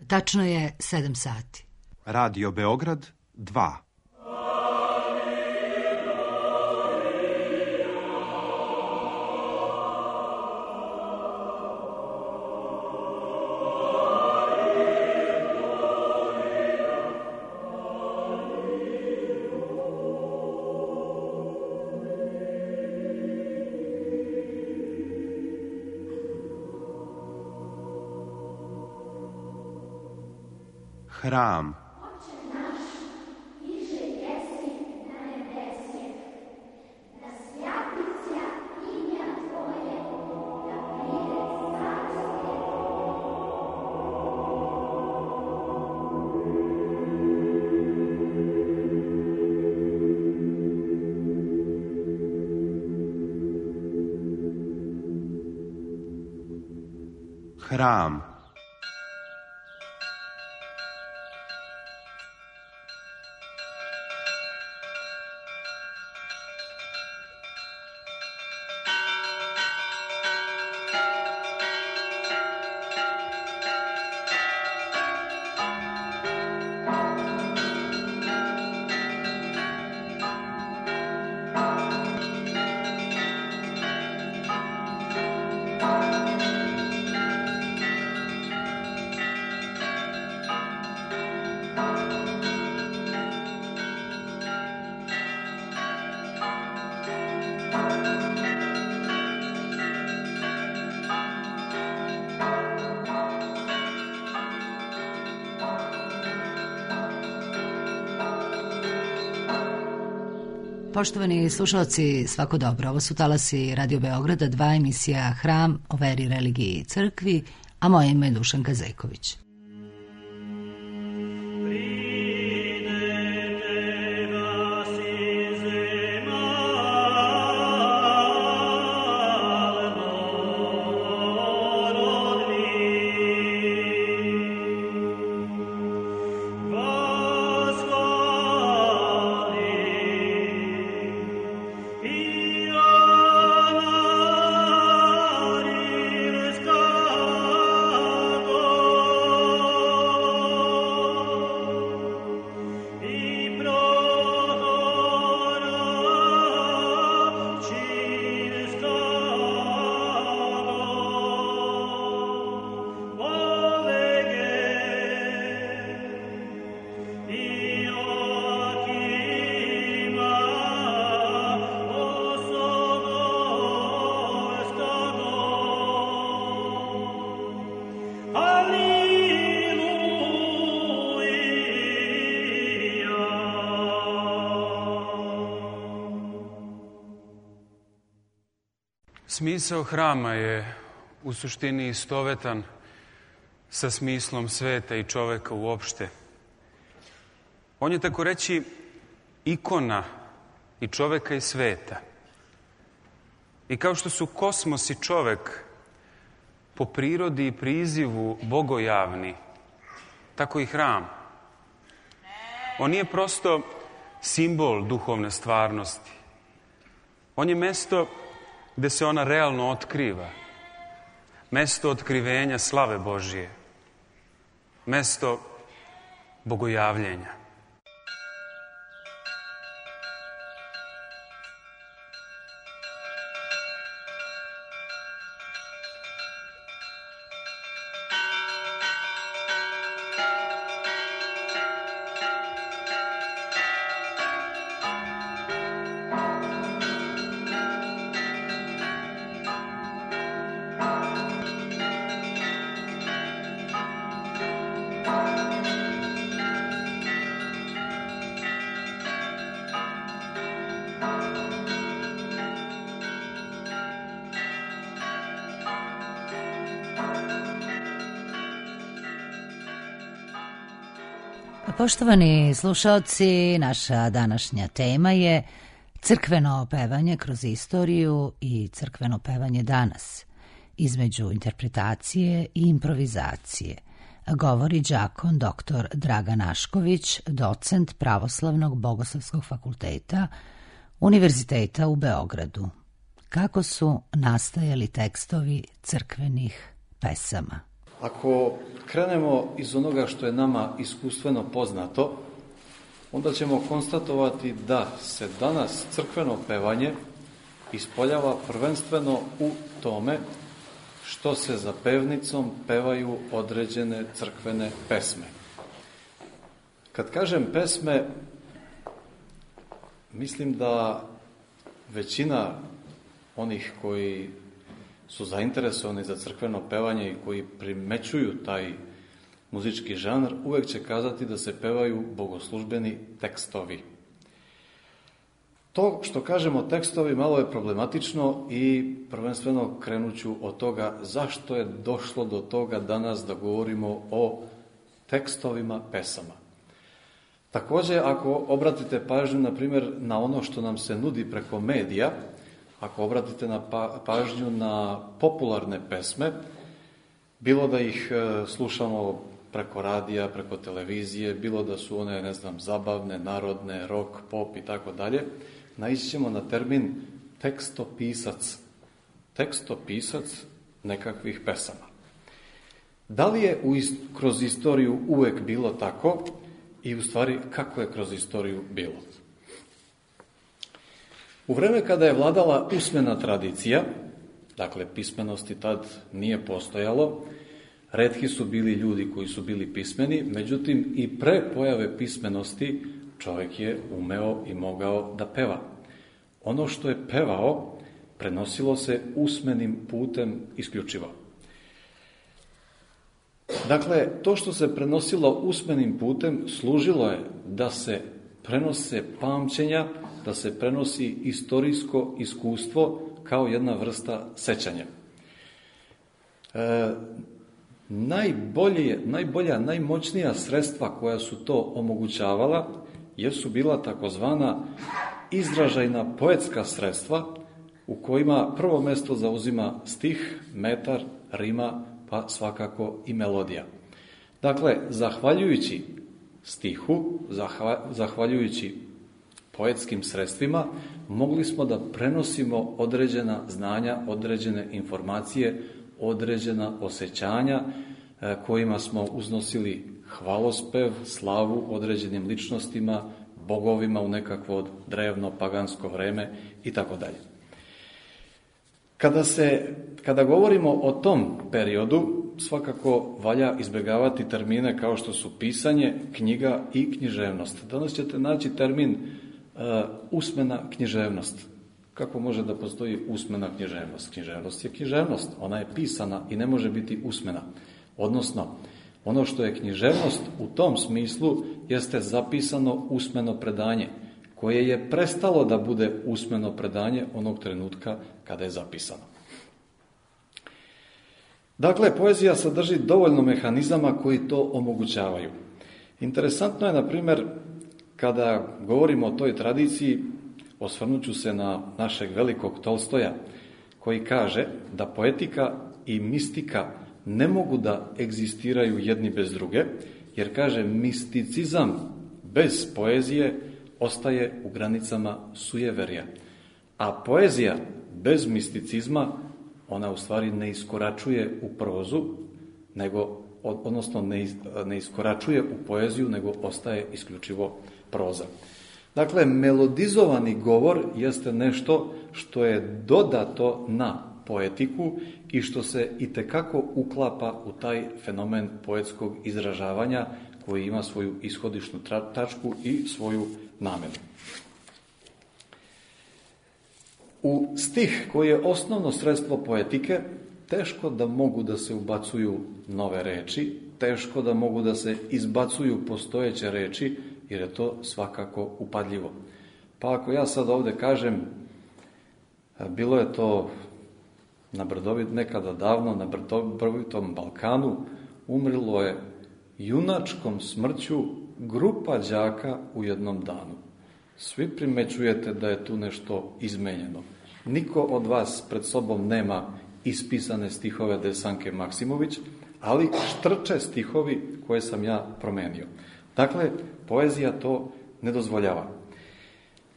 Tačno je 7 sati. Radio Beograd 2. Hram. Hram. Poštovani slušalci, svako dobro. Ovo su talasi Radio Beograda 2, emisija Hram o veri, religiji i crkvi, a moje ime je Dušanka Zejković. Smisao hrama je u suštini istovetan sa smislom sveta i čoveka uopšte. On je, tako reći, ikona i čoveka i sveta. I kao što su kosmos i čovek po prirodi i prizivu bogojavni, tako i hram. On nije prosto simbol duhovne stvarnosti. On je mesto gde se ona realno otkriva. Mesto otkrivenja slave Božije. Mesto bogojavljenja. Poštovani slušalci, naša današnja tema je crkveno pevanje kroz istoriju i crkveno pevanje danas, između interpretacije i improvizacije. Govori đakon dr. Dragan Ašković, docent Pravoslavnog bogoslovskog fakulteta Univerziteta u Beogradu. Kako su nastajali tekstovi crkvenih pesama? Ako krenemo iz onoga što je nama iskustveno poznato, onda ćemo konstatovati da se danas crkveno pevanje ispoljava prvenstveno u tome što se za pevnicom pevaju određene crkvene pesme. Kad kažem pesme, mislim da većina onih koji su zainteresovani za crkveno pevanje i koji primećuju taj muzički žanr, uvek će kazati da se pevaju bogoslužbeni tekstovi. To što kažemo tekstovi malo je problematično i prvenstveno krenuću od toga zašto je došlo do toga danas da govorimo o tekstovima pesama. Također, ako obratite pažnju, na primjer, na ono što nam se nudi preko medija, ako obratite pažnju na popularne pesme, bilo da ih slušamo preko radija, preko televizije, bilo da su one, zabavne, narodne, rock, pop i tako dalje, naići ćemo na termin tekstopisac. Tekstopisac nekakvih pesama. Da li je kroz istoriju uvek bilo tako i u stvari kako je kroz istoriju bilo? U vreme kada je vladala usmena tradicija, dakle pismenosti tad nije postojalo, retki su bili ljudi koji su bili pismeni, međutim i pre pojave pismenosti čovjek je umeo i mogao da peva. Ono što je pevao prenosilo se usmenim putem isključivo. Dakle, to što se prenosilo usmenim putem služilo je da se prenose pamćenja, da se prenosi istorijsko iskustvo kao jedna vrsta sećanja. Najbolja, najmoćnija sredstva koja su to omogućavala jesu bila takozvana izražajna poetska sredstva u kojima prvo mesto zauzima stih, metar, rima, pa svakako i melodija. Dakle, zahvaljujući stihu, zahvaljujući poetskim sredstvima, mogli smo da prenosimo određena znanja, određene informacije, određena osjećanja kojima smo uznosili hvalospev, slavu određenim ličnostima, bogovima u nekakvo drevno pagansko vreme i tako dalje. Kada govorimo o tom periodu, svakako valja izbjegavati termine kao što su pisanje, knjiga i književnost. Danas ćete naći termin usmena književnost. Kako može da postoji usmena književnost? Književnost je književnost, ona je pisana i ne može biti usmena. Odnosno, ono što je književnost u tom smislu jeste zapisano usmeno predanje, koje je prestalo da bude usmeno predanje onog trenutka kada je zapisano. Dakle, poezija sadrži dovoljno mehanizama koji to omogućavaju. Interesantno je, na primjer, kada govorimo o toj tradiciji, osvrnut ću se na našeg velikog Tolstoja, koji kaže da poetika i mistika ne mogu da egzistiraju jedni bez druge, jer kaže misticizam bez poezije ostaje u granicama sujeverja. A poezija bez misticizma, ona u stvari ne iskoračuje u prozu, odnosno ne iskoračuje u poeziju, nego ostaje isključivo proza. Dakle, melodizovani govor jeste nešto što je dodato na poetiku i što se itekako uklapa u taj fenomen poetskog izražavanja koji ima svoju ishodišnu tačku i svoju namenu. U stih koji je osnovno sredstvo poetike, teško da mogu da se ubacuju nove reči, teško da mogu da se izbacuju postojeće reči, jer je to svakako upadljivo. Pa ako ja sad ovdje kažem, bilo je to nekada davno na brdovitom Balkanu, umrlo je junačkom smrću grupa đaka u jednom danu. Svi primećujete da je tu nešto izmenjeno. Niko od vas pred sobom nema ispisane stihove Desanke Maksimović, ali štrče stihovi koje sam ja promenio. Dakle, poezija to ne dozvoljava.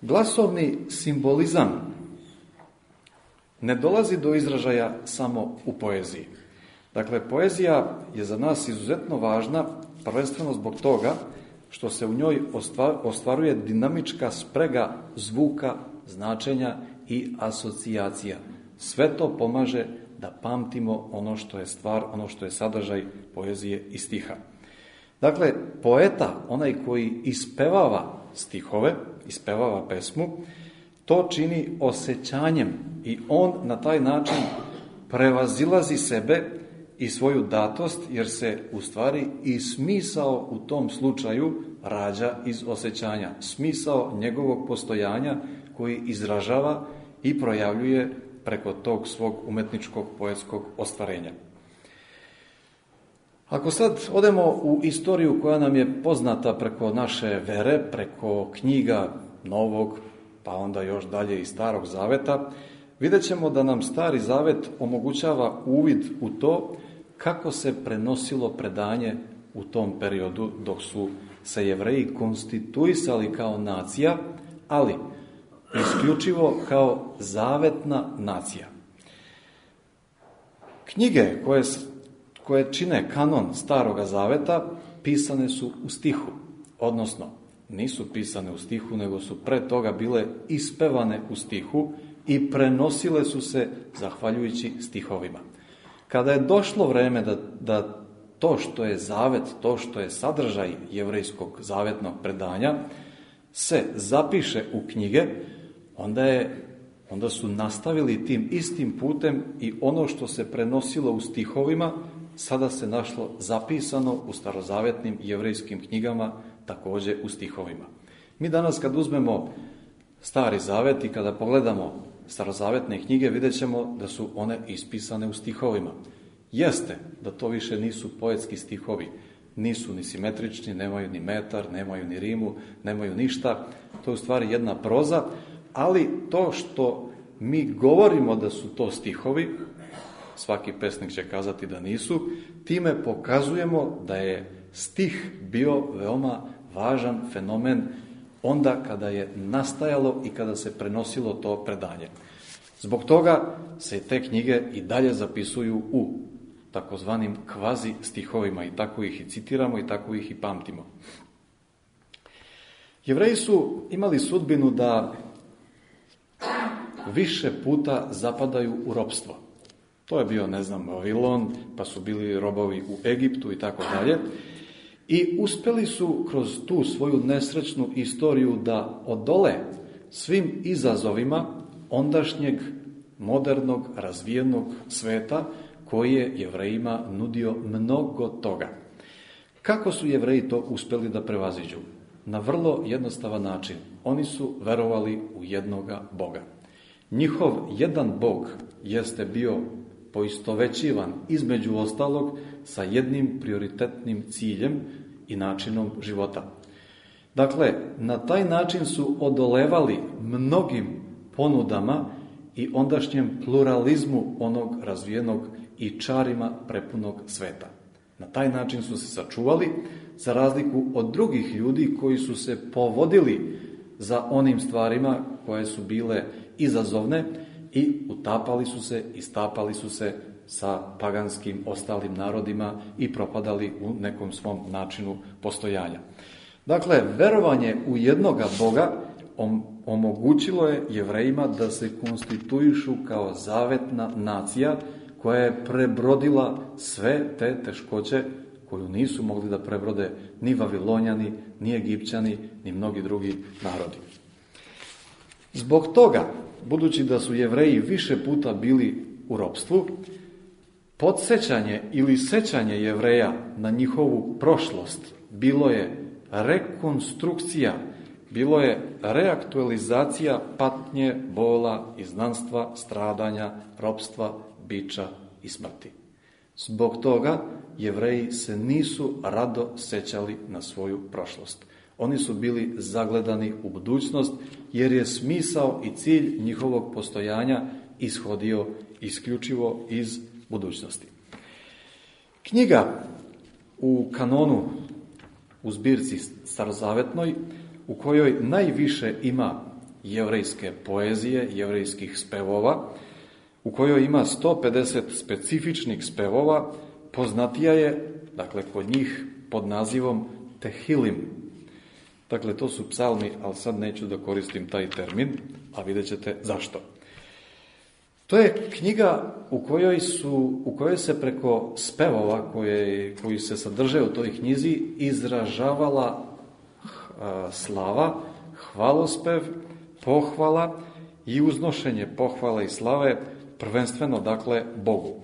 Glasovni simbolizam ne dolazi do izražaja samo u poeziji. Dakle, poezija je za nas izuzetno važna, prvenstveno zbog toga što se u njoj ostvaruje dinamička sprega zvuka, značenja i asocijacija. Sve to pomaže da pamtimo ono što je stvar, ono što je sadržaj poezije i stiha. Dakle, poeta, onaj koji ispevava stihove, ispevava pesmu, to čini osjećanjem i on na taj način prevazilazi sebe i svoju datost, jer se u stvari i smisao u tom slučaju rađa iz osjećanja. Smisao njegovog postojanja koji izražava i projavljuje preko tog svog umetničkog poetskog ostvarenja. Ako sad odemo u istoriju koja nam je poznata preko naše vere, preko knjiga Novog, pa onda još dalje i Starog Zaveta, vidjet ćemo da nam Stari Zavet omogućava uvid u to kako se prenosilo predanje u tom periodu dok su se Jevreji konstituisali kao nacija, ali isključivo kao zavetna nacija. Knjige koje čine kanon Staroga Zaveta pisane su u stihu, odnosno nisu pisane u stihu, nego su pre toga bile ispevane u stihu i prenosile su se zahvaljujući stihovima. Kada je došlo vreme da to što je zavet, to što je sadržaj jevrejskog zavetnog predanja se zapiše u knjige, onda su nastavili tim istim putem i ono što se prenosilo u stihovima sada se našlo zapisano u starozavetnim jevrejskim knjigama, također u stihovima. Mi danas kad uzmemo Stari Zavet i kada pogledamo starozavetne knjige, vidjet ćemo da su one ispisane u stihovima. Jeste da to više nisu poetski stihovi, nisu ni simetrični, nemaju ni metar, nemaju ni rimu, nemaju ništa, to je u stvari jedna proza, ali to što mi govorimo da su to stihovi, svaki pesnik će kazati da nisu, time pokazujemo da je stih bio veoma važan fenomen onda kada je nastajalo i kada se prenosilo to predanje. Zbog toga se te knjige i dalje zapisuju u takozvanim kvazi stihovima i tako ih i citiramo i tako ih i pamtimo. Jevreji su imali sudbinu da više puta zapadaju u ropstvo. To je bio, Vavilon, pa su bili robovi u Egiptu i tako dalje. I uspeli su kroz tu svoju nesrećnu istoriju da odole svim izazovima ondašnjeg modernog, razvijenog sveta koji je Jevrejima nudio mnogo toga. Kako su Jevreji to uspeli da prevaziđu? Na vrlo jednostavan način. Oni su verovali u jednoga Boga. Njihov jedan Bog jeste bio poistovećivan između ostalog sa jednim prioritetnim ciljem i načinom života. Dakle, na taj način su odolevali mnogim ponudama i ondašnjem pluralizmu onog razvijenog i čarima prepunog sveta. Na taj način su se sačuvali, za razliku od drugih ljudi koji su se povodili za onim stvarima koje su bile izazovne i utapali su se i stapali su se sa paganskim ostalim narodima i propadali u nekom svom načinu postojanja. Dakle, verovanje u jednoga Boga omogućilo je Jevrejima da se konstituišu kao zavetna nacija koja je prebrodila sve te teškoće koju nisu mogli da prebrode ni Vavilonjani, ni Egipćani, ni mnogi drugi narodi. Zbog toga, budući da su Jevreji više puta bili u ropstvu, podsjećanje ili sećanje Jevreja na njihovu prošlost bilo je rekonstrukcija, bilo je reaktualizacija patnje, bola, izgnanstva, stradanja, ropstva, biča i smrti. Zbog toga Jevreji se nisu rado sećali na svoju prošlost. Oni su bili zagledani u budućnost, jer je smisao i cilj njihovog postojanja ishodio isključivo iz budućnosti. Knjiga u kanonu, u zbirci starozavetnoj, u kojoj najviše ima jevrejske poezije, jevrejskih spevova, u kojoj ima 150 specifičnih spevova, poznatija je, dakle, kod njih pod nazivom Tehilim. Dakle, to su psalmi, ali sad neću da koristim taj termin, a vidjet ćete zašto. To je knjiga u kojoj se preko spevova koji se sadrže u toj knjizi izražavala slava, hvalospev, pohvala i uznošenje pohvala i slave, prvenstveno, dakle, Bogu.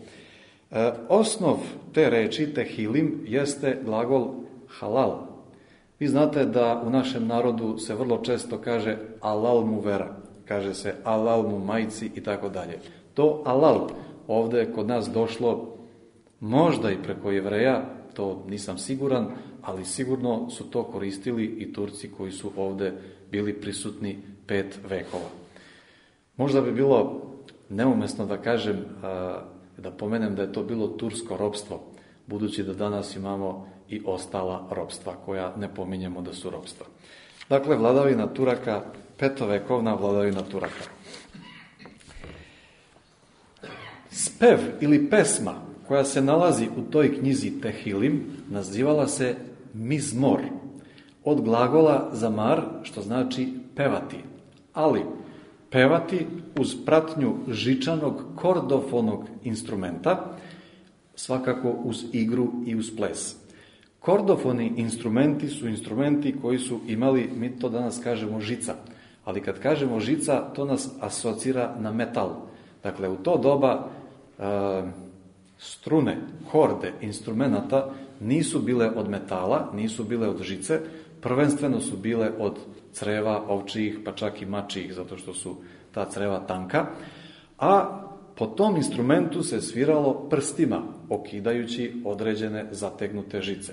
Osnov te reči, Tehilim, jeste glagol halal. Vi znate da u našem narodu se vrlo često kaže alal mu vera, kaže se alal mu majci i tako dalje. To alal ovdje je kod nas došlo možda i preko Jevreja, to nisam siguran, ali sigurno su to koristili i Turci koji su ovdje bili prisutni 5 vekova. Možda bi bilo neumesno da kažem, da pomenem da je to bilo tursko ropstvo, budući da danas imamo i ostala ropstva koja ne pominjemo da su ropstva. Dakle, vladavina Turaka, 5-vekovna vladavina Turaka. Spev ili pesma koja se nalazi u toj knjizi Tehilim nazivala se mizmor, od glagola zamar, što znači pevati, ali pevati uz pratnju žičanog kordofonog instrumenta, svakako uz igru i uz ples. Kordofoni instrumenti su instrumenti koji su imali, mi to danas kažemo žica, ali kad kažemo žica, to nas asocira na metal. Dakle, u to doba strune, horde instrumenata nisu bile od metala, nisu bile od žice, prvenstveno su bile od creva ovčijih, pa čak i mačijih, zato što su ta creva tanka, a po tom instrumentu se sviralo prstima, okidajući određene zategnute žice.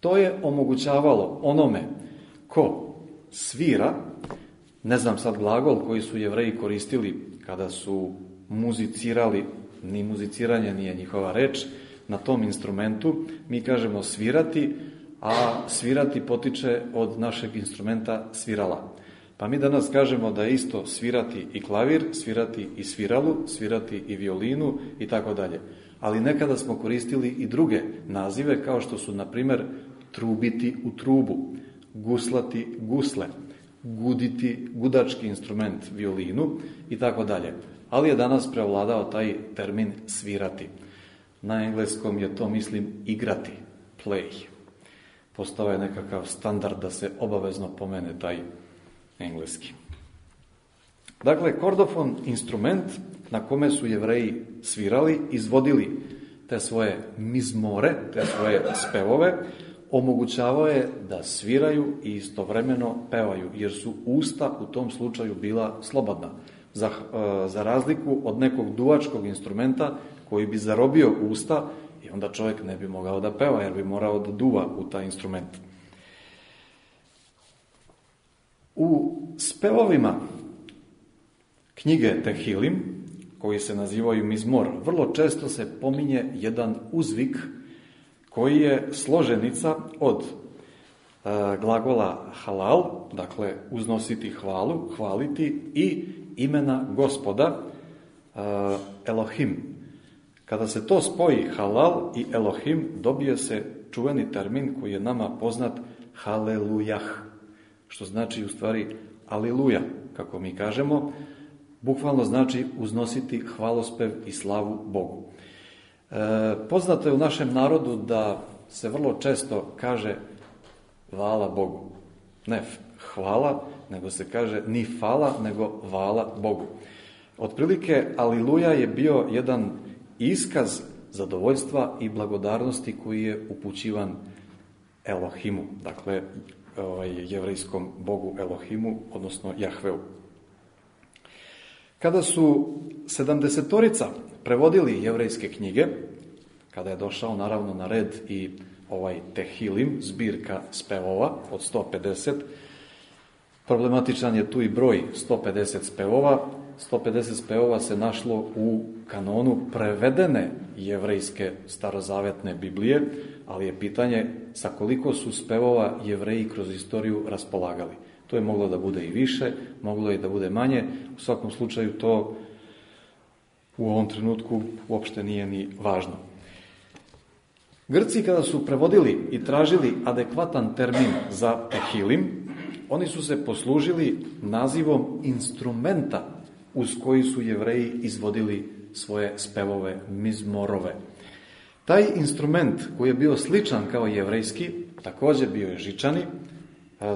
To je omogućavalo onome ko svira, ne znam sad glagol koji su Jevreji koristili kada su muzicirali, ni muziciranje nije njihova reč, na tom instrumentu mi kažemo svirati, a svirati potiče od našeg instrumenta svirala. Pa mi danas kažemo da je isto svirati i klavir, svirati i sviralu, svirati i violinu i tako dalje. Ali nekada smo koristili i druge nazive, kao što su, na primjer, trubiti u trubu, guslati gusle, guditi gudački instrument violinu i tako dalje. Ali je danas prevladao taj termin svirati. Na engleskom je to, mislim, igrati, play. Postao je nekakav standard da se obavezno pomene taj engleski. Dakle, kordofon, instrument na kome su Jevreji svirali, izvodili te svoje mizmore, te svoje spevove, omogućavao je da sviraju i istovremeno pevaju, jer su usta u tom slučaju bila slobodna. Za razliku od nekog duvačkog instrumenta koji bi zarobio usta i onda čovjek ne bi mogao da peva, jer bi morao da duva u taj instrument. U spevovima knjige Tehilim, koji se nazivaju mizmor, vrlo često se pominje jedan uzvik koji je složenica od glagola halal, dakle uznositi hvalu, hvaliti, i imena Gospoda Elohim. Kada se to spoji halal i Elohim, dobije se čuveni termin koji je nama poznat halelujah, što znači u stvari aliluja, kako mi kažemo, bukvalno znači uznositi hvalospev i slavu Bogu. Poznato je u našem narodu da se vrlo često kaže hvala Bogu. Ne hvala, nego se kaže ni fala, nego hvala Bogu. Otprilike, aliluja je bio jedan iskaz zadovoljstva i blagodarnosti koji je upućivan Elohimu, dakle jevrejskom Bogu Elohimu, odnosno Jahveu. Kada su 70-torica prevodili jevrejske knjige, kada je došao naravno na red i ovaj Tehilim, zbirka spevova od 150, problematičan je tu i broj 150 spevova. 150 spevova se našlo u kanonu prevedene jevrejske starozavetne Biblije, ali je pitanje sa koliko su spevova Jevreji kroz istoriju raspolagali. To je moglo da bude i više, moglo je da bude manje. U svakom slučaju to u ovom trenutku uopšte nije ni važno. Grci kada su prevodili i tražili adekvatan termin za tehilim, oni su se poslužili nazivom instrumenta uz koji su Jevreji izvodili svoje spevove, mizmorove. Taj instrument koji je bio sličan kao jevrejski, također bio je žičani,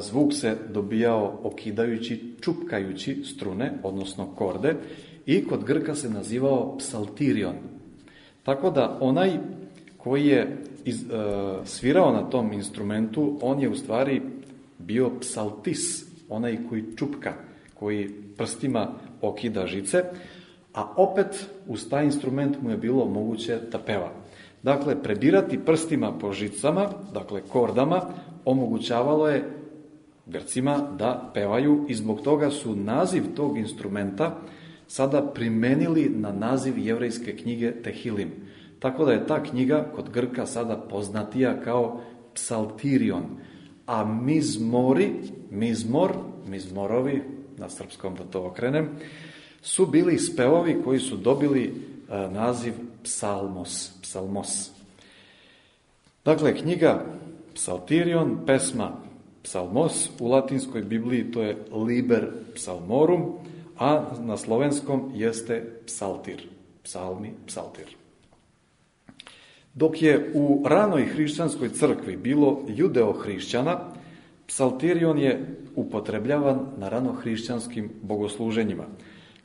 zvuk se dobijao okidajući, čupkajući strune, odnosno korde, i kod Grka se nazivao psaltirion. Tako da onaj koji je svirao na tom instrumentu, on je u stvari bio psaltis, onaj koji čupka, koji prstima okida žice, a opet uz taj instrument mu je bilo moguće da peva. Dakle, prebirati prstima po žicama, dakle kordama, omogućavalo je Grcima da pevaju i zbog toga su naziv tog instrumenta sada primenili na naziv jevrejske knjige Tehilim. Tako da je ta knjiga kod Grka sada poznatija kao psaltirion. A mizmorovi, na srpskom da to okrenem, su bili spevovi koji su dobili naziv psalmos. Dakle, knjiga psaltirion, pesma psalmos, u latinskoj Bibliji to je liber psalmorum, a na slovenskom jeste psaltir, psalmi, psaltir. Dok je u ranoj hrišćanskoj crkvi bilo judeo-hrišćana, psaltirion je upotrebljavan na ranohrišćanskim bogosluženjima.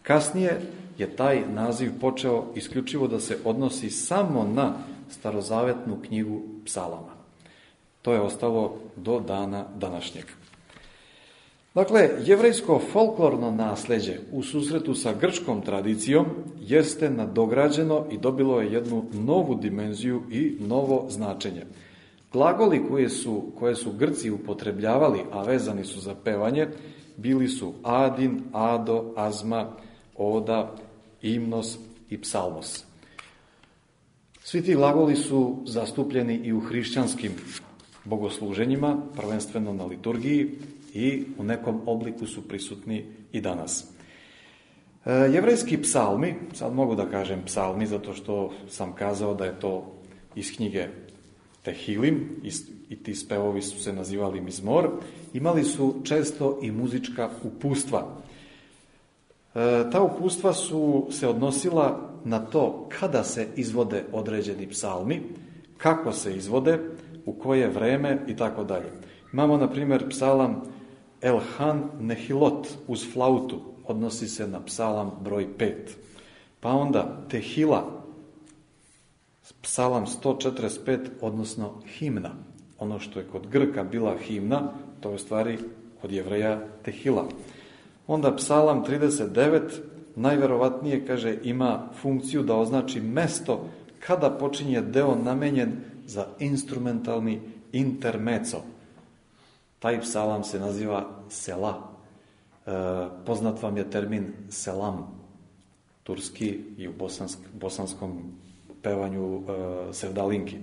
Kasnije je taj naziv počeo isključivo da se odnosi samo na starozavetnu knjigu psalama. To je ostalo do dana današnjeg. Dakle, jevrejsko folklorno nasleđe u susretu sa grčkom tradicijom jeste nadograđeno i dobilo je jednu novu dimenziju i novo značenje. Glagoli koje su Grci upotrebljavali, a vezani su za pevanje, bili su adin, ado, azma, oda, imnos i psalmos. Svi ti glagoli su zastupljeni i u hrišćanskim bogosluženjima, prvenstveno na liturgiji, i u nekom obliku su prisutni i danas. Jevrejski psalmi, sad mogu da kažem psalmi zato što sam kazao da je to iz knjige Tehilim i ti spevovi su se nazivali mizmor, imali su često i muzička upustva. Ta upustva su se odnosila na to kada se izvode određeni psalmi, kako se izvode, u koje vreme i tako dalje. Imamo, na primjer, psalam Elhan Nehilot uz flautu, odnosi se na psalam broj 5. Pa onda Tehila, psalam 145, odnosno himna. Ono što je kod Grka bila himna, to je u stvari kod Jevreja Tehila. Onda psalam 39, najverovatnije, kaže, ima funkciju da označi mesto kada počinje deo namenjen za instrumentalni intermeco. Taj psalam se naziva sela. Poznat vam je termin selam, turski i u bosanskom pevanju sevdalinki.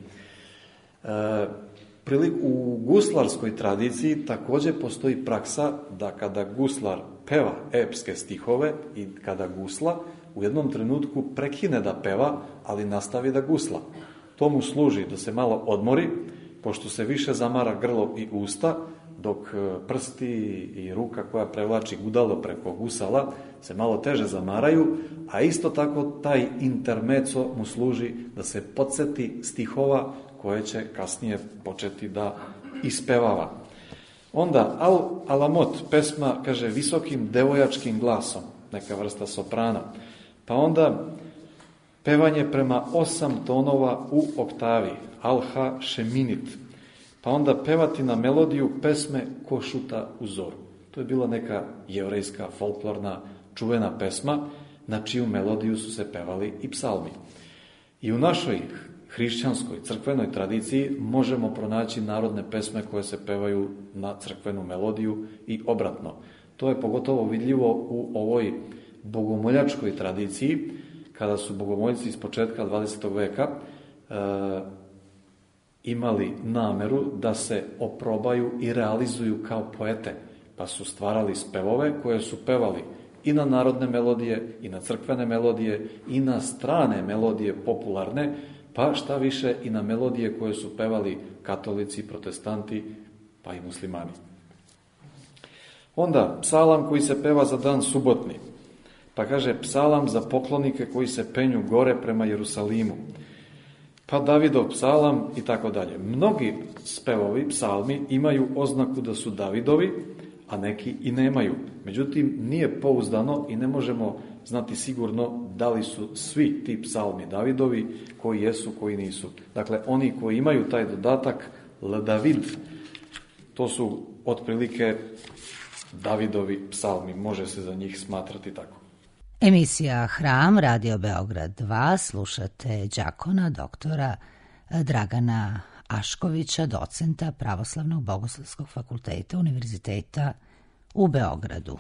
U guslarskoj tradiciji također postoji praksa da kada guslar peva epske stihove i kada gusla, u jednom trenutku prekine da peva, ali nastavi da gusla. To mu služi da se malo odmori, pošto se više zamara grlo i usta, dok prsti i ruka koja prevlači gudalo preko gusala se malo teže zamaraju, a isto tako taj intermeco mu služi da se podsjeti stihova koje će kasnije početi da ispevava. Onda alamot, pesma, kaže, visokim devojačkim glasom, neka vrsta soprana. Pa onda pevanje prema 8 tonova u oktavi, alha šeminit. Pa onda pevati na melodiju pesme ko šuta u zoru. To je bila neka jevrejska, folklorna, čuvena pesma, na čiju melodiju su se pevali i psalmi. I u našoj hrišćanskoj, crkvenoj tradiciji možemo pronaći narodne pesme koje se pevaju na crkvenu melodiju i obratno. To je pogotovo vidljivo u ovoj bogomoljačkoj tradiciji, kada su bogomoljci iz početka 20. veka imali nameru da se oprobaju i realizuju kao poete, pa su stvarali spevove koje su pevali i na narodne melodije, i na crkvene melodije, i na strane melodije popularne, pa šta više i na melodije koje su pevali katolici, protestanti, pa i muslimani. Onda psalam koji se peva za dan subotni, pa kaže psalam za poklonike koji se penju gore prema Jerusalimu, pa Davidov psalam i tako dalje. Mnogi spevovi, psalmi imaju oznaku da su Davidovi, a neki i nemaju. Međutim, nije pouzdano i ne možemo znati sigurno da li su svi ti psalmi Davidovi, koji jesu, koji nisu. Dakle, oni koji imaju taj dodatak L David, to su otprilike Davidovi psalmi, može se za njih smatrati tako. Emisija Hram, Radio Beograd 2, slušate đakona doktora Dragana Aškovića, docenta Pravoslavnog bogoslovskog fakulteta Univerziteta u Beogradu.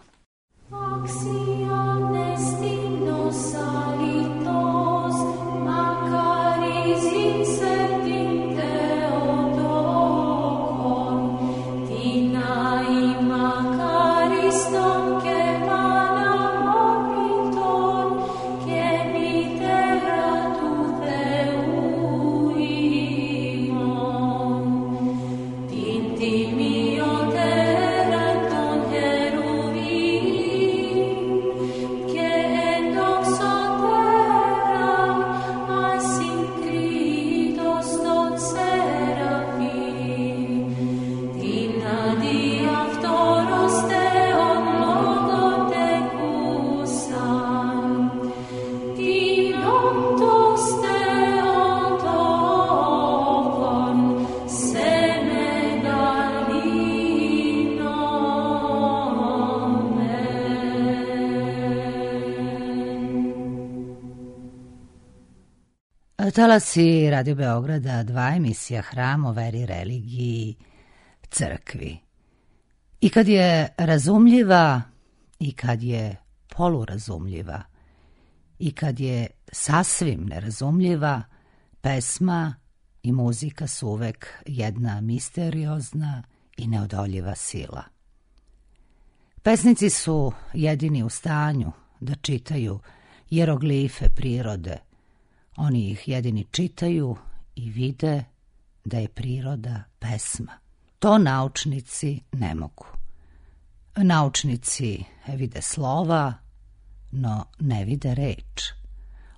Talasi Radio Beograda 2, emisija Hram o veri, religiji, crkvi. I kad je razumljiva, i kad je polurazumljiva, i kad je sasvim nerazumljiva, pesma i muzika su uvek jedna misteriozna i neodoljiva sila. Pesnici su jedini u stanju da čitaju jeroglife prirode. Oni ih jedini čitaju i vide da je priroda pesma. To naučnici ne mogu. Naučnici vide slova, no ne vide reč.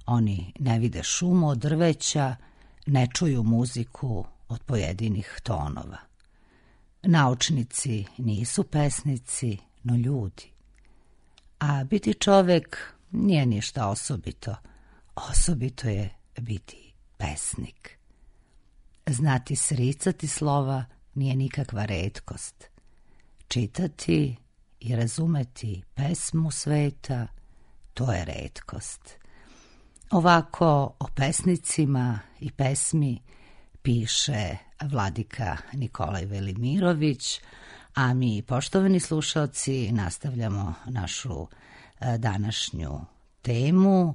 Oni ne vide šumu od drveća, ne čuju muziku od pojedinih tonova. Naučnici nisu pesnici, no ljudi. A biti čovek nije ništa osobito. Osobito je biti pesnik. Znati sricati slova nije nikakva retkost. Čitati i razumeti pesmu sveta, to je retkost. Ovako o pesnicima i pesmi piše vladika Nikolaj Velimirović, a mi, poštovani slušalci, nastavljamo našu današnju temu,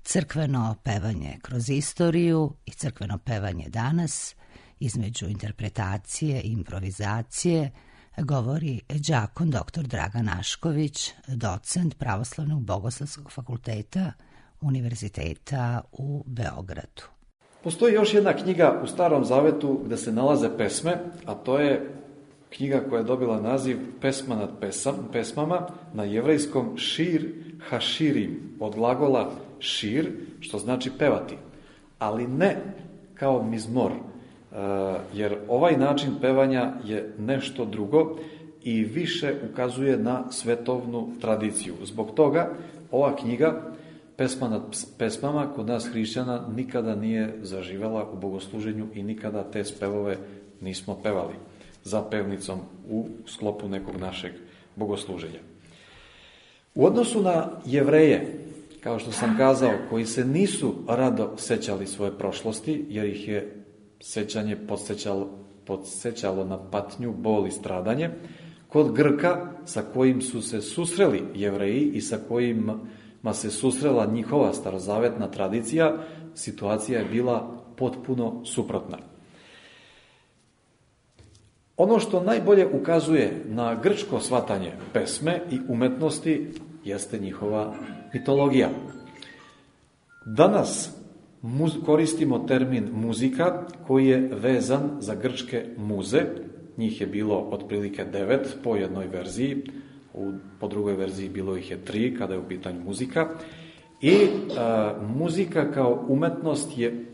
crkveno pevanje kroz istoriju i crkveno pevanje danas, između interpretacije i improvizacije, govori đakon dr. Dragan Ašković, docent Pravoslavnog bogoslovskog fakulteta Univerziteta u Beogradu. Postoji još jedna knjiga u Starom Zavetu gde se nalaze pesme, a to je knjiga koja je dobila naziv Pesma nad pesmama, na jevrejskom Šir Haširim, od glagola šir, što znači pevati, ali ne kao mizmor, jer ovaj način pevanja je nešto drugo i više ukazuje na svetovnu tradiciju. Zbog toga ova knjiga, Pesma nad pesmama, kod nas hrišćana nikada nije zaživela u bogosluženju i nikada te spevove nismo pevali za pevnicom u sklopu nekog našeg bogosluženja. U odnosu na Jevreje, kao što sam kazao, koji se nisu rado sećali svoje prošlosti, jer ih je sećanje podsjećalo na patnju, bol i stradanje, kod Grka, sa kojim su se susreli Jevreji i sa kojima se susrela njihova starozavetna tradicija, situacija je bila potpuno suprotna. Ono što najbolje ukazuje na grčko shvatanje pesme i umetnosti jeste njihova mitologija. Danas koristimo termin muzika koji je vezan za grčke muze. Njih je bilo otprilike 9 po jednoj verziji, po drugoj verziji bilo ih je 3 kada je u pitanju muzika. I muzika kao umetnost je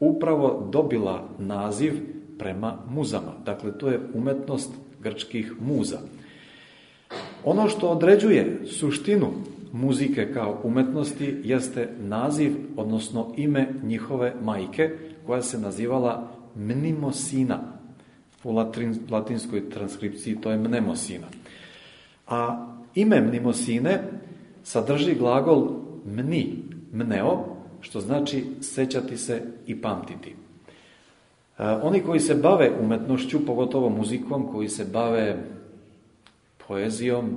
upravo dobila naziv prema muzama. Dakle, to je umetnost grčkih muza. Ono što određuje suštinu muzike kao umetnosti jeste naziv, odnosno ime njihove majke, koja se nazivala Mnemosina. U latinskoj transkripciji to je Mnemosina. A ime Mnemosine sadrži glagol mni, mneo, što znači sećati se i pamtiti. Oni koji se bave umetnošću, pogotovo muzikom, koji se bave poezijom,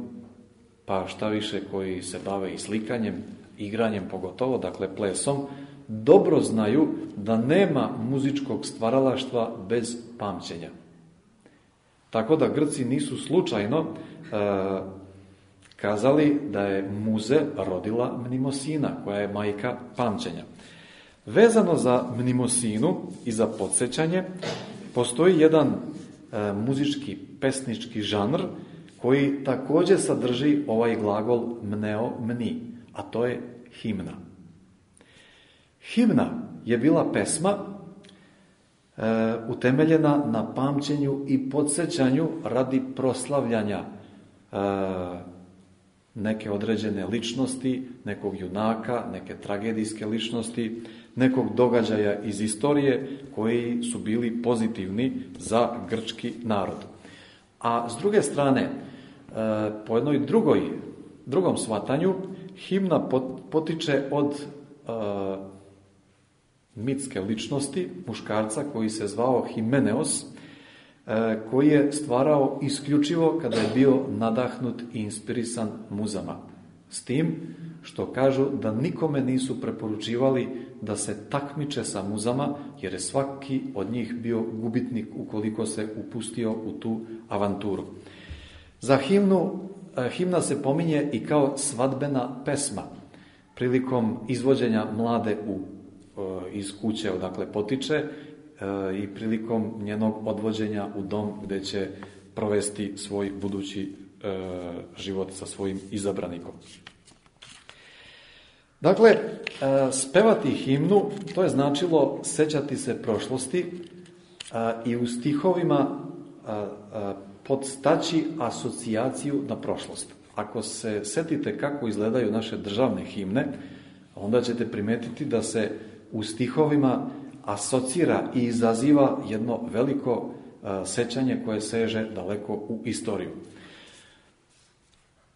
pa šta više koji se bave i slikanjem, igranjem pogotovo, dakle plesom, dobro znaju da nema muzičkog stvaralaštva bez pamćenja. Tako da Grci nisu slučajno kazali da je muze rodila Mnemosina, koja je majka pamćenja. Vezano za Mnemosinu i za podsjećanje, postoji jedan muzički, pesnički žanr koji također sadrži ovaj glagol mneo, mni, a to je himna. Himna je bila pesma utemeljena na pamćenju i podsjećanju radi proslavljanja neke određene ličnosti, nekog junaka, neke tragedijske ličnosti, nekog događaja iz istorije koji su bili pozitivni za grčki narod. A s druge strane, po jednoj drugom shvatanju, himna potiče od mitske ličnosti, muškarca koji se zvao Himeneos, koji je stvarao isključivo kada je bio nadahnut i inspirisan muzama. S tim što kažu da nikome nisu preporučivali da se takmiče sa muzama, jer je svaki od njih bio gubitnik ukoliko se upustio u tu avanturu. Za himna se pominje i kao svadbena pesma. Prilikom izvođenja mlade iz kuće odakle potiče i prilikom njenog odvođenja u dom gdje će provesti svoj budući život sa svojim izabranikom. Dakle, spevati himnu, to je značilo sećati se prošlosti i u stihovima podstaći asocijaciju na prošlost. Ako se setite kako izgledaju naše državne himne, onda ćete primetiti da se u stihovima asocira i izaziva jedno veliko sećanje koje seže daleko u istoriju.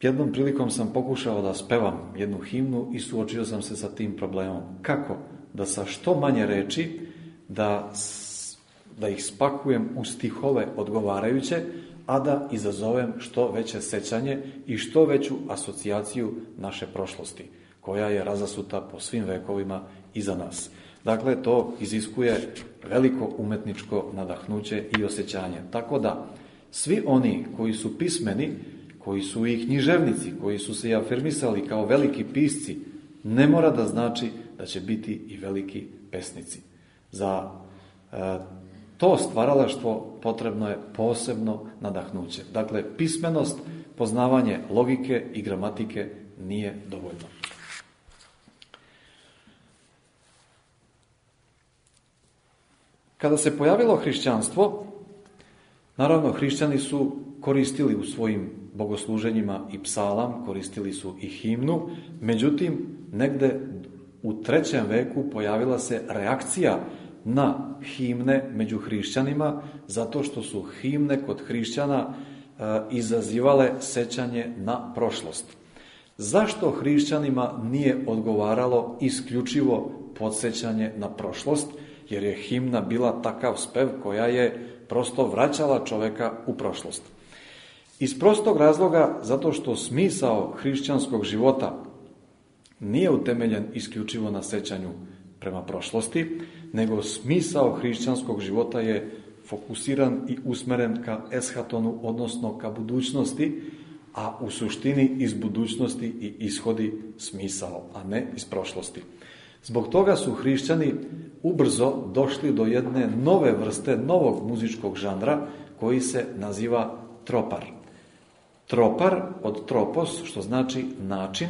Jednom prilikom sam pokušao da spevam jednu himnu i suočio sam se sa tim problemom. Kako? Da sa što manje reči, da ih spakujem u stihove odgovarajuće, a da izazovem što veće sećanje i što veću asocijaciju naše prošlosti, koja je razasuta po svim vekovima iza nas. Dakle, to iziskuje veliko umetničko nadahnuće i osjećanje. Tako da, svi oni koji su pismeni, koji su i književnici, koji su se afirmisali kao veliki pisci, ne mora da znači da će biti i veliki pesnici. Za to stvaralaštvo potrebno je posebno nadahnuće. Dakle, pismenost, poznavanje logike i gramatike nije dovoljno. Kada se pojavilo hrišćanstvo, naravno hrišćani su koristili u svojim bogosluženjima i psalam, koristili su i himnu, međutim, negde u 3. veku pojavila se reakcija na himne među hrišćanima, zato što su himne kod hrišćana izazivale sećanje na prošlost. Zašto hrišćanima nije odgovaralo isključivo podsjećanje na prošlost? Jer je himna bila takav spev koja je prosto vraćala čoveka u prošlost. Iz prostog razloga, zato što smisao hrišćanskog života nije utemeljen isključivo na sećanju prema prošlosti, nego smisao hrišćanskog života je fokusiran i usmeren ka eshatonu, odnosno ka budućnosti, a u suštini iz budućnosti i ishodi smisao, a ne iz prošlosti. Zbog toga su hrišćani ubrzo došli do jedne nove vrste, novog muzičkog žanra koji se naziva tropar. Tropar od tropos, što znači način,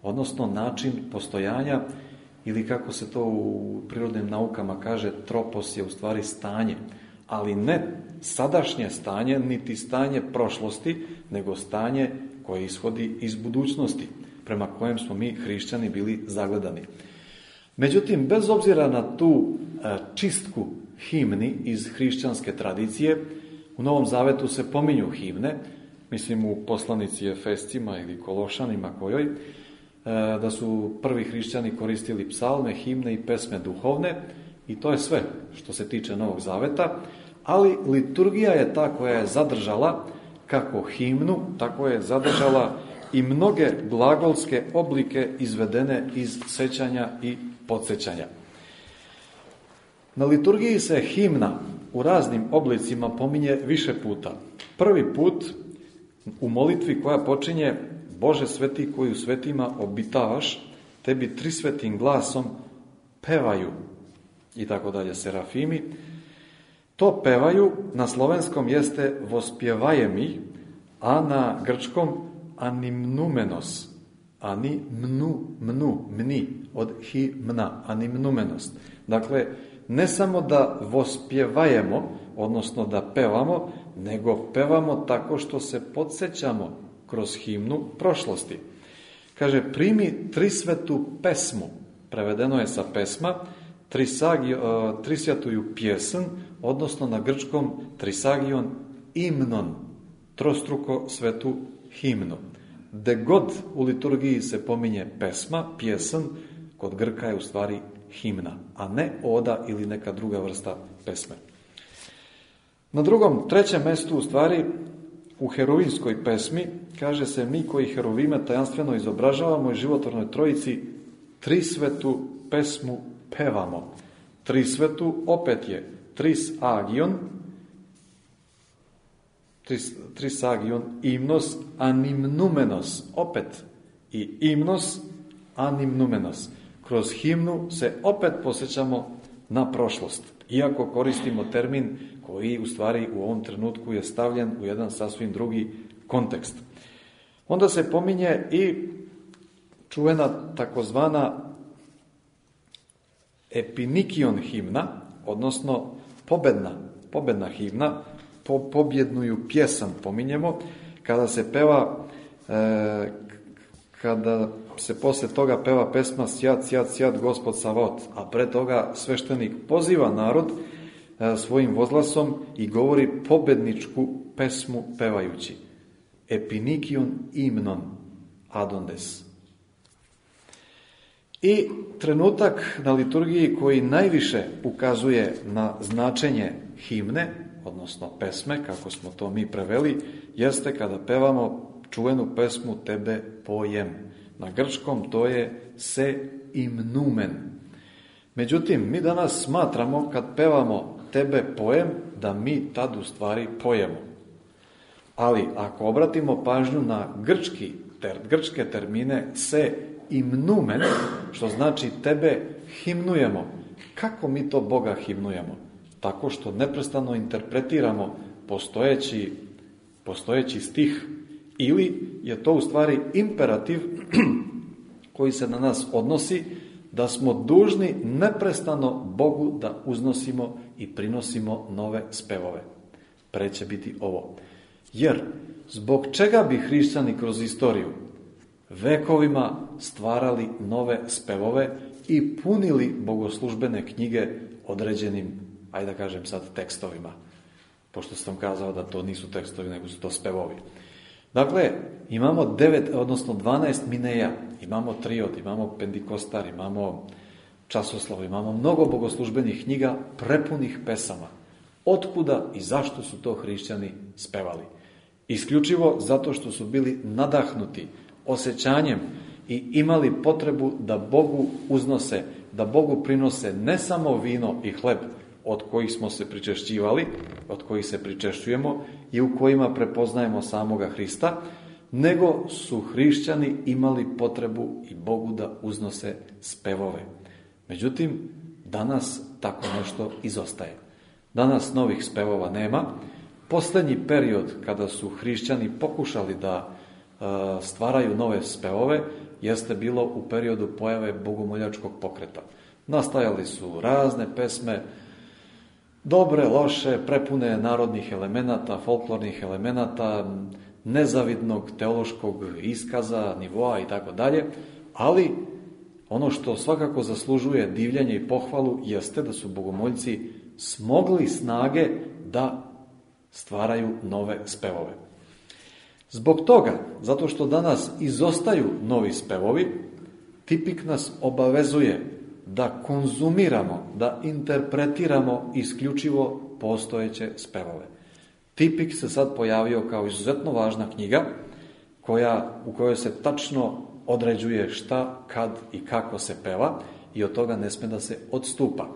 odnosno način postojanja, ili kako se to u prirodnim naukama kaže, tropos je u stvari stanje, ali ne sadašnje stanje, niti stanje prošlosti, nego stanje koje ishodi iz budućnosti, prema kojem smo mi hrišćani bili zagledani. Međutim, bez obzira na tu čistku himni iz hrišćanske tradicije, u Novom Zavetu se pominju himne, mislim u poslanici Efescima ili Kološanima kojoj, da su prvi hrišćani koristili psalme, himne i pesme duhovne, i to je sve što se tiče Novog Zaveta, ali liturgija je ta koja je zadržala kako himnu, tako je zadržala i mnoge glagolske oblike izvedene iz sećanja i podsjećanja. Na liturgiji se himna u raznim oblicima pominje više puta. Prvi put u molitvi koja počinje: Bože sveti koji u svetima obitavaš, tebi trisvetim glasom pevaju, i tako dalje, serafimi. To pevaju na slovenskom jeste vospjevajemi, a na grčkom animnumenos. Mni, od himna, animnumenos. Dakle, ne samo da vospjevajemo, odnosno da pevamo, nego pevamo tako što se podsjećamo kroz himnu prošlosti. Kaže, primi trisvetu pesmu, prevedeno je sa pesma, trisvjatuju pjesn, odnosno na grčkom trisagion imnon, trostruko svetu himnu. De god u liturgiji se pominje pesma, pjesn, kod Grka je u stvari himna, a ne oda ili neka druga vrsta pesme. Na drugom, trećem mestu u stvari u herovinskoj pesmi kaže se: mi koji herovime tajanstveno izobražavamo i životvornoj trojici trisvetu pesmu pevamo. Trisvetu opet je trisagion imnos animnumenos, opet i imnos animnumenos. Kroz himnu se opet posjećamo na prošlost, iako koristimo termin koji u stvari u ovom trenutku je stavljen u jedan sasvim drugi kontekst. Onda se pominje i čuvena takozvana epinikion himna, odnosno pobedna himna, pobjednuju pjesan pominjemo, kada se peva, kada se poslije toga peva pesma Sjat, Gospod Savot, a pre toga sveštenik poziva narod svojim vozglasom i govori pobedničku pesmu pevajući. Epinikion imnon adondes. I trenutak na liturgiji koji najviše ukazuje na značenje himne, odnosno pesme, kako smo to mi preveli, jeste kada pevamo čuvenu pesmu Tebe pojem. Na grčkom to je se imnumen. Međutim, mi danas smatramo kad pevamo Tebe pojem, da mi tad u stvari pojemo. Ali ako obratimo pažnju na grčke termine se imnumen, što znači Tebe himnujemo. Kako mi to Boga himnujemo? Tako što neprestano interpretiramo postojeći stih, ili je to u stvari imperativ koji se na nas odnosi, da smo dužni neprestano Bogu da uznosimo i prinosimo nove spevove. Preće biti ovo. Jer zbog čega bi hrišćani kroz istoriju vekovima stvarali nove spevove i punili bogoslužbene knjige određenim, ajde da kažem sad, tekstovima, pošto sam kazao da to nisu tekstovi, nego su to spevovi. Dakle, imamo 12 mineja, imamo triod, imamo pendikostar, imamo časoslav, imamo mnogo bogoslužbenih knjiga prepunih pesama. Otkuda i zašto su to hrišćani spevali? Isključivo zato što su bili nadahnuti osjećanjem i imali potrebu da Bogu uznose, da Bogu prinose ne samo vino i hleb od kojih smo se pričešćivali, od kojih se pričešćujemo i u kojima prepoznajemo samoga Hrista, nego su hrišćani imali potrebu i Bogu da uznose spevove. Međutim, danas tako nešto izostaje. Danas novih spevova nema. Posljednji period kada su hrišćani pokušali da stvaraju nove spevove jeste bilo u periodu pojave bogomoljačkog pokreta. Nastajali su razne pesme, dobre, loše, prepune narodnih elemenata, folklornih elemenata, nezavidnog teološkog iskaza, nivoa i tako dalje, ali ono što svakako zaslužuje divljenje i pohvalu jeste da su bogomoljci smogli snage da stvaraju nove spevove. Zbog toga, zato što danas izostaju novi spevovi, tipik nas obavezuje da konzumiramo, da interpretiramo isključivo postojeće spevove. Tipik se sad pojavio kao izuzetno važna knjiga u kojoj se tačno određuje šta, kad i kako se peva i od toga ne sme da se odstupa.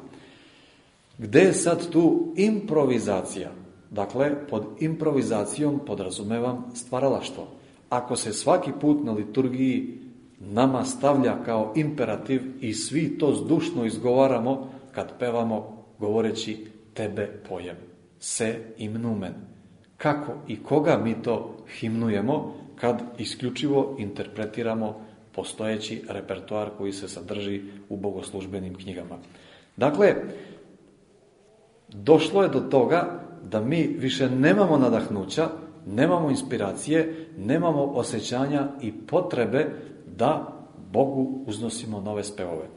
Gde je sad tu improvizacija? Dakle, pod improvizacijom podrazumevam stvaralaštvo. Ako se svaki put na liturgiji nama stavlja kao imperativ i svi to zdušno izgovaramo kad pevamo govoreći tebe pojem, se imnumen. Kako i koga mi to himnujemo kad isključivo interpretiramo postojeći repertoar koji se sadrži u bogoslužbenim knjigama. Dakle, došlo je do toga da mi više nemamo nadahnuća, nemamo inspiracije, nemamo osjećanja i potrebe da Bogu uznosimo nove spevove.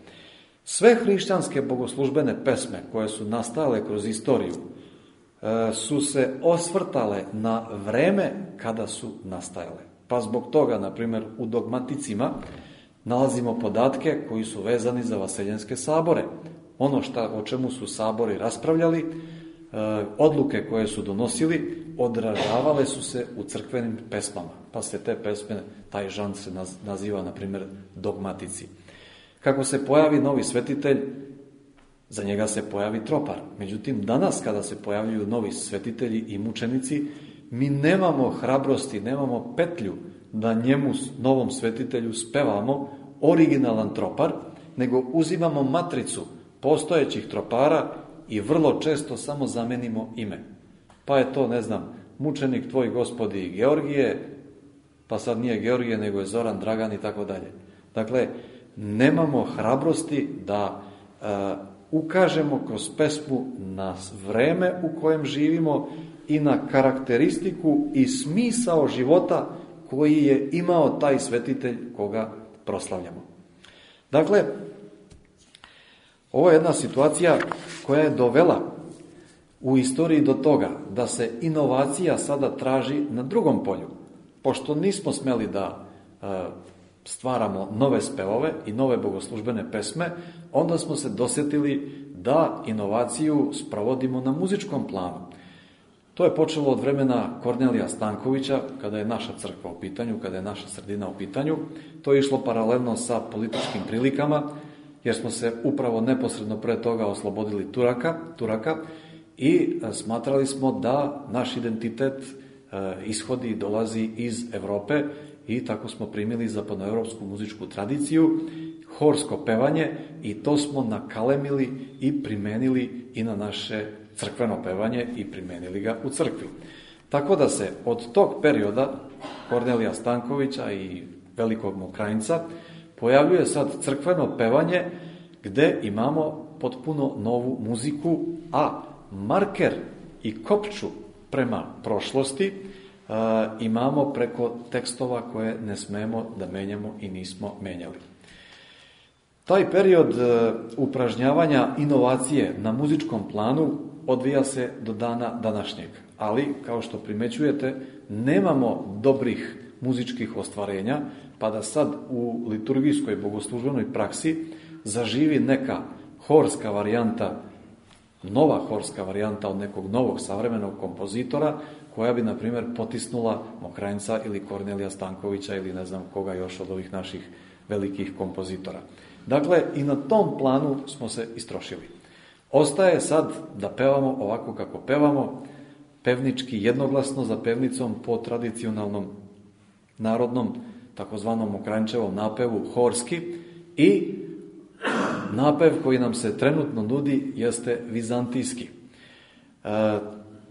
Sve hrišćanske bogoslužbene pesme koje su nastajale kroz istoriju su se osvrtale na vreme kada su nastajale. Pa zbog toga, na primjer, u dogmaticima nalazimo podatke koji su vezani za vaseljenske sabore. Ono o čemu su sabori raspravljali, odluke koje su donosili, odražavale su se u crkvenim pesmama. Pa se te pesme, taj žanr se naziva, na primjer, dogmatici. Kako se pojavi novi svetitelj, za njega se pojavi tropar. Međutim, danas kada se pojavljuju novi svetitelji i mučenici, mi nemamo hrabrosti, nemamo petlju da njemu, novom svetitelju, spevamo originalan tropar, nego uzimamo matricu postojećih tropara i vrlo često samo zamenimo ime. Pa je to, mučenik tvoj gospodi Georgije, pa sad nije Georgije, nego je Zoran, Dragan i tako dalje. Dakle, nemamo hrabrosti da ukažemo kroz pesmu na vreme u kojem živimo i na karakteristiku i smisao života koji je imao taj svetitelj koga proslavljamo. Dakle, ovo je jedna situacija koja je dovela u istoriji do toga da se inovacija sada traži na drugom polju. Pošto nismo smeli da stvaramo nove spevove i nove bogoslužbene pesme, onda smo se dosjetili da inovaciju sprovodimo na muzičkom planu. To je počelo od vremena Kornelija Stankovića, kada je naša crkva u pitanju, kada je naša sredina u pitanju. To je išlo paralelno sa političkim prilikama, jer smo se upravo neposredno pre toga oslobodili Turaka i smatrali smo da naš identitet ishodi i dolazi iz Evrope i tako smo primili zapadnoevropsku muzičku tradiciju, horsko pevanje i to smo nakalemili i primenili i na naše crkveno pevanje i primenili ga u crkvi. Tako da se od tog perioda Kornelija Stankovića i velikog Mokrajinca pojavljuje sad crkveno pevanje gde imamo potpuno novu muziku, a marker i kopču prema prošlosti imamo preko tekstova koje ne smemo da menjamo i nismo menjali. Taj period upražnjavanja inovacije na muzičkom planu odvija se do dana današnjeg, ali kao što primećujete nemamo dobrih muzičkih ostvarenja, pa da sad u liturgijskoj bogoslužbenoj praksi zaživi neka horska varijanta, nova horska varijanta od nekog novog savremenog kompozitora, koja bi, na primjer, potisnula Mokrajinca ili Kornelija Stankovića ili ne znam koga još od ovih naših velikih kompozitora. Dakle, i na tom planu smo se istrošili. Ostaje sad da pevamo ovako kako pevamo, pevnički jednoglasno za pevnicom po tradicionalnom narodnom takozvanom Mokranjčevom napevu horski i napev koji nam se trenutno nudi jeste vizantijski.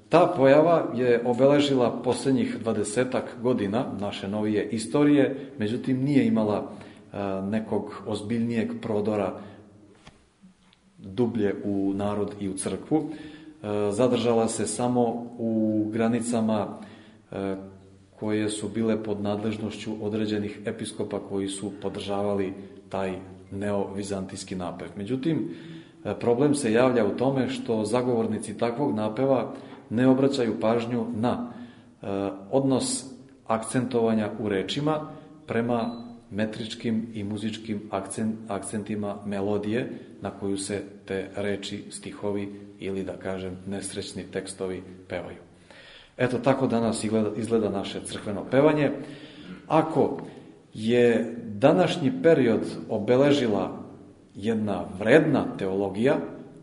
Ta pojava je obeležila posljednjih 20 godina naše novije istorije, međutim nije imala nekog ozbiljnijeg prodora dublje u narod i u crkvu. Zadržala se samo u granicama koje su bile pod nadležnošću određenih episkopa koji su podržavali taj neovizantijski napev. Međutim, problem se javlja u tome što zagovornici takvog napeva ne obraćaju pažnju na odnos akcentovanja u rečima prema metričkim i muzičkim akcentima melodije na koju se te reči, stihovi ili da kažem nesrećni tekstovi pevaju. Eto tako danas izgleda naše crkveno pevanje. Ako je današnji period obeležila jedna vredna teologija,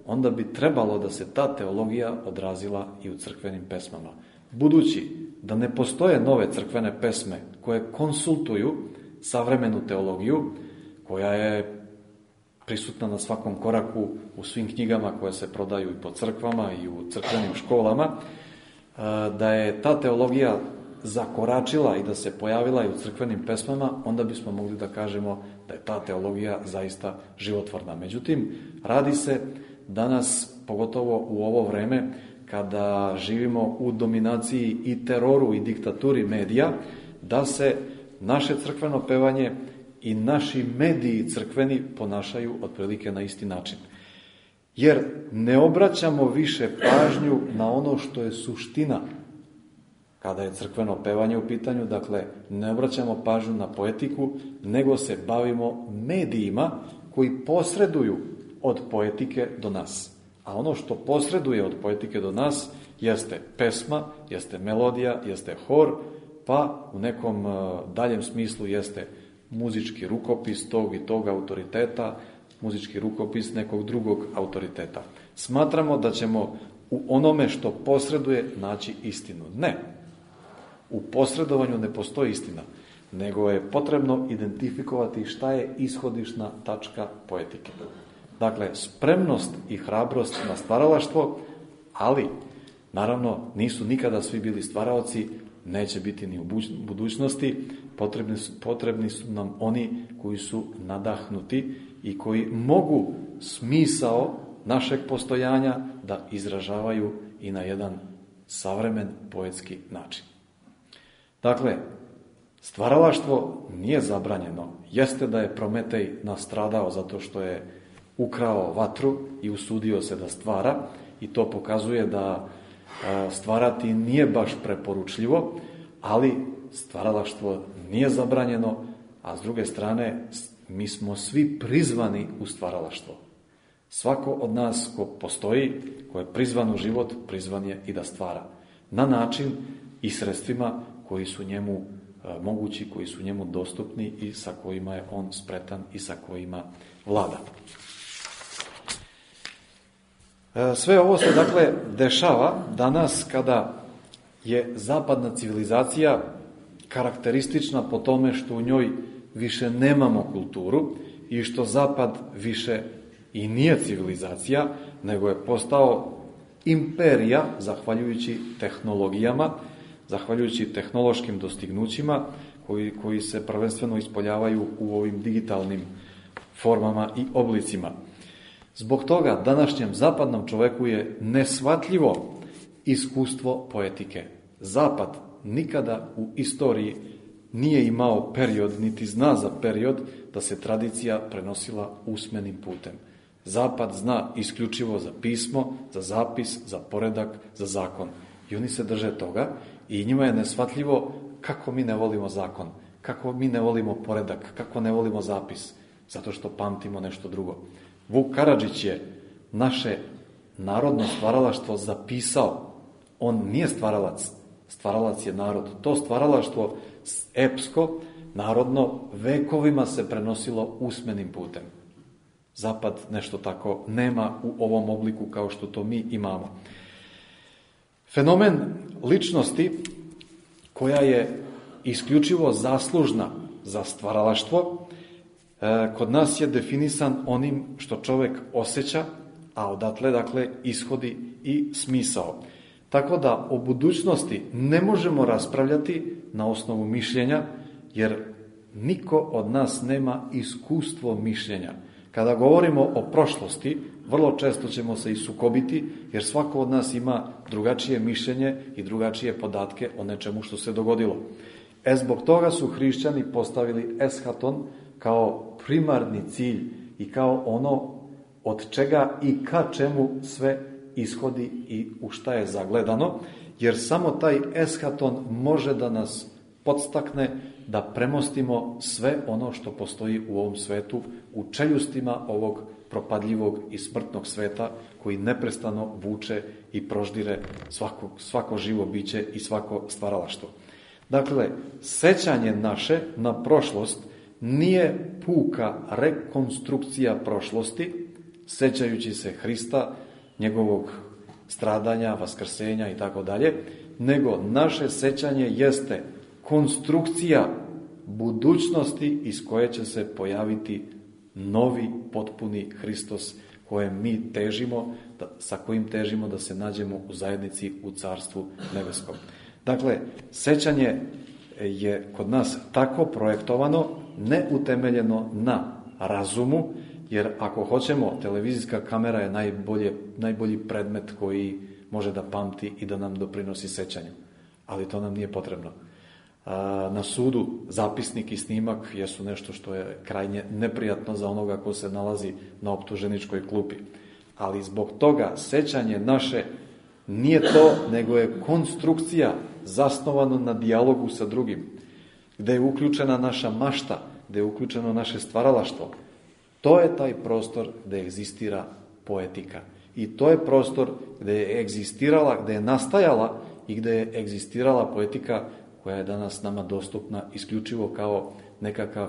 onda bi trebalo da se ta teologija odrazila i u crkvenim pesmama. Budući da ne postoje nove crkvene pesme koje konsultuju savremenu teologiju, koja je prisutna na svakom koraku u svim knjigama koje se prodaju i po crkvama i u crkvenim školama, da je ta teologija zakoračila i da se pojavila i u crkvenim pesmama, onda bismo mogli da kažemo da je ta teologija zaista životvorna. Međutim, radi se danas, pogotovo u ovo vreme, kada živimo u dominaciji i teroru i diktaturi medija, da se naše crkveno pevanje i naši mediji crkveni ponašaju otprilike na isti način. Jer ne obraćamo više pažnju na ono što je suština kada je crkveno pevanje u pitanju, dakle ne obraćamo pažnju na poetiku, nego se bavimo medijima koji posreduju od poetike do nas. A ono što posreduje od poetike do nas jeste pesma, jeste melodija, jeste hor, pa u nekom daljem smislu jeste muzički rukopis tog i tog autoriteta, muzički rukopis nekog drugog autoriteta. Smatramo da ćemo u onome što posreduje naći istinu. Ne. U posredovanju ne postoji istina, nego je potrebno identifikovati šta je ishodišna tačka poetike. Dakle, spremnost i hrabrost na stvaralaštvo, ali, naravno, nisu nikada svi bili stvaraoci, neće biti ni u budućnosti, potrebni su nam oni koji su nadahnuti i koji mogu smisao našeg postojanja da izražavaju i na jedan savremen poetski način. Dakle, stvaralaštvo nije zabranjeno. Jeste da je Prometej nastradao zato što je ukrao vatru i usudio se da stvara, i to pokazuje da stvarati nije baš preporučljivo, ali stvaralaštvo nije zabranjeno, a s druge strane mi smo svi prizvani u stvaralaštvo. Svako od nas ko postoji, ko je prizvan u život, prizvan je i da stvara. Na način i sredstvima koji su njemu mogući, koji su njemu dostupni i sa kojima je on spretan i sa kojima vlada. Sve ovo se dakle dešava danas kada je zapadna civilizacija karakteristična po tome što u njoj više nemamo kulturu i što zapad više i nije civilizacija, nego je postao imperija zahvaljujući tehnologijama, zahvaljujući tehnološkim dostignućima koji se prvenstveno ispoljavaju u ovim digitalnim formama i oblicima. Zbog toga današnjem zapadnom čoveku je neshvatljivo iskustvo poetike. Zapad nikada u istoriji nije imao period, niti zna za period da se tradicija prenosila usmenim putem. Zapad zna isključivo za pismo, za zapis, za poredak, za zakon. I oni se drže toga i njima je neshvatljivo kako mi ne volimo zakon, kako mi ne volimo poredak, kako ne volimo zapis, zato što pamtimo nešto drugo. Vuk Karadžić je naše narodno stvaralaštvo zapisao. On nije stvaralac, stvaralac je narod. To stvaralaštvo epsko, narodno, vekovima se prenosilo usmenim putem. Zapad nešto tako nema u ovom obliku kao što to mi imamo. Fenomen ličnosti koja je isključivo zaslužna za stvaralaštvo, kod nas je definisan onim što čovjek osjeća, a odatle, dakle, ishodi i smisao. Tako da o budućnosti ne možemo raspravljati na osnovu mišljenja, jer niko od nas nema iskustvo mišljenja. Kada govorimo o prošlosti, vrlo često ćemo se i sukobiti, jer svako od nas ima drugačije mišljenje i drugačije podatke o nečemu što se dogodilo. Zbog toga su hrišćani postavili eschaton kao primarni cilj i kao ono od čega i ka čemu sve ishodi i u šta je zagledano, jer samo taj eschaton može da nas podstakne da premostimo sve ono što postoji u ovom svetu, u čeljustima ovog propadljivog i smrtnog sveta koji neprestano vuče i proždire svako živo biće i svako stvaralaštvo. Dakle, sećanje naše na prošlost nije puka rekonstrukcija prošlosti, sećajući se Hrista, njegovog stradanja, vaskrsenja i tako dalje, nego naše sećanje jeste konstrukcija budućnosti iz koje će se pojaviti novi, potpuni Hristos kojem mi težimo, sa kojim težimo da se nađemo u zajednici u Carstvu nebeskom. Dakle, sećanje je kod nas tako projektovano, neutemeljeno na razumu, jer ako hoćemo, televizijska kamera je najbolji predmet koji može da pamti i da nam doprinosi sećanju. Ali to nam nije potrebno. Na sudu zapisnik i snimak jesu nešto što je krajnje neprijatno za onoga ko se nalazi na optuženičkoj klupi. Ali zbog toga sećanje naše nije to, nego je konstrukcija zasnovano na dijalogu sa drugim, gde je uključena naša mašta, gde je uključeno naše stvaralaštvo. To je taj prostor gde egzistira poetika. I to je prostor gde je egzistirala, gde je nastajala i gde je egzistirala poetika koja je danas nama dostupna isključivo kao nekakav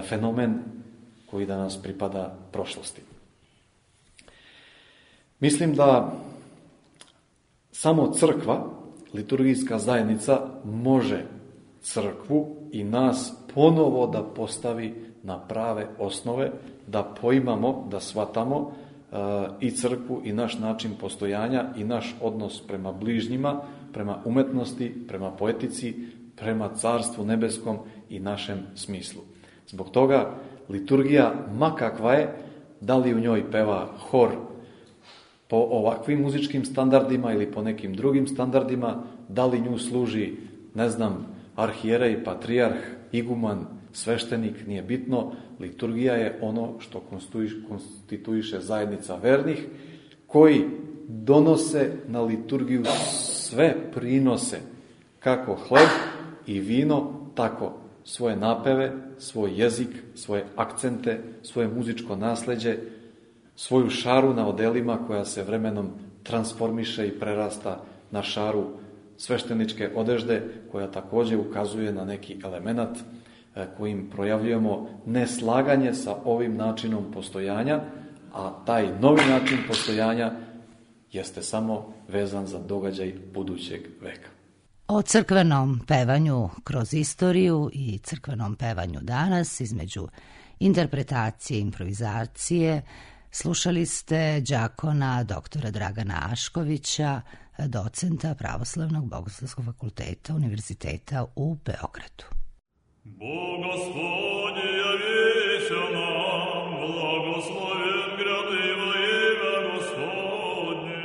fenomen koji danas pripada prošlosti. Mislim da samo crkva, liturgijska zajednica, može crkvu i nas ponovo da postavi na prave osnove, da poimamo, da shvatamo i crkvu i naš način postojanja i naš odnos prema bližnjima, prema umetnosti, prema poetici, prema Carstvu nebeskom i našem smislu. Zbog toga liturgija, ma kakva je, da li u njoj peva hor po ovakvim muzičkim standardima ili po nekim drugim standardima, da li nju služi, ne znam, arhijerej, patrijarh, iguman, sveštenik, nije bitno. Liturgija je ono što konstituiše zajednica vernih, koji donose na liturgiju sve prinose, kako hleb i vino, tako svoje napeve, svoj jezik, svoje akcente, svoje muzičko nasleđe, svoju šaru na odelima koja se vremenom transformiše i prerasta na šaru svešteničke odežde, koja također ukazuje na neki element kojim projavljujemo neslaganje sa ovim načinom postojanja, a taj novi način postojanja jeste samo vezan za događaj budućeg veka. O crkvenom pevanju kroz istoriju i crkvenom pevanju danas, između interpretacije i improvizacije, slušali ste đakona doktora Dragana Aškovića, docenta Pravoslavnog bogoslovskog fakulteta Univerziteta u Beogradu. Bogoslovlje javiše nam, blagosloven gradivo ime Gospodnje.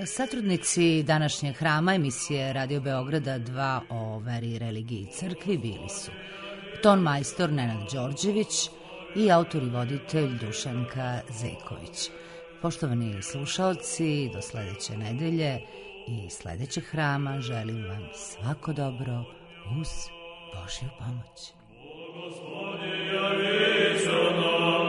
Satrudnici današnjeg hrama emisije Radio Beograda 2 o veri, religiji i crkvi bili su ton majstor Nenad Đorđević i autor i voditelj Dušanka Zeković. Poštovani slušaoci, do sledeće nedelje i sledećeg hrama želim vam svako dobro uz Božju pomoć. Gospodi, javi se nam.